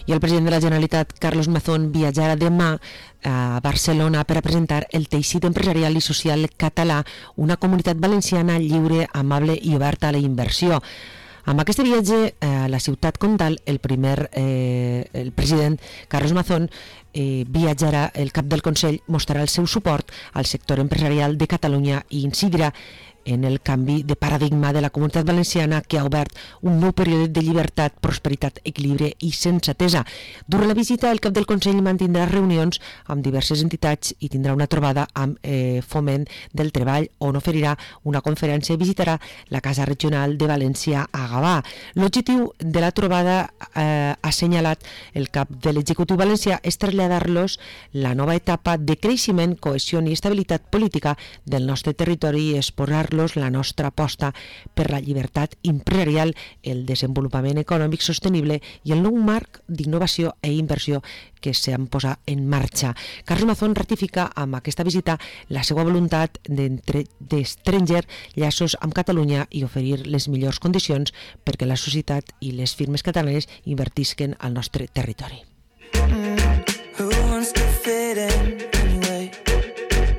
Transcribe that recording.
I el president de la Generalitat, Carlos Mazón, viatjarà demà a Barcelona per a presentar el teixit empresarial i social català, una comunitat valenciana lliure, amable i oberta a la inversió. Amb aquest viatge a la ciutat comtal, el president Carlos Mazón viatjarà, el cap del Consell mostrarà el seu suport al sector empresarial de Catalunya i incidirà en el canvi de paradigma de la comunitat valenciana, que ha obert un nou període de llibertat, prosperitat, equilibri i sensatesa. Durant la visita, el cap del Consell mantindrà reunions amb diverses entitats i tindrà una trobada amb Foment del Treball, on oferirà una conferència i visitarà la Casa Regional de València a Gavà. L'objectiu de la trobada, ha assenyalat el cap de l'executiu valencià, és traslladar-los la nova etapa de creixement, cohesió i estabilitat política del nostre territori i exposar la nostra aposta per la llibertat empresarial, el desenvolupament econòmic sostenible i el nou marc d'innovació i inversió que s'han posat en marxa. Carlos Mazón ratifica amb aquesta visita la seva voluntat d'estrenger llaços amb Catalunya i oferir les millors condicions perquè la societat i les firmes catalanes invertisquen al nostre territori.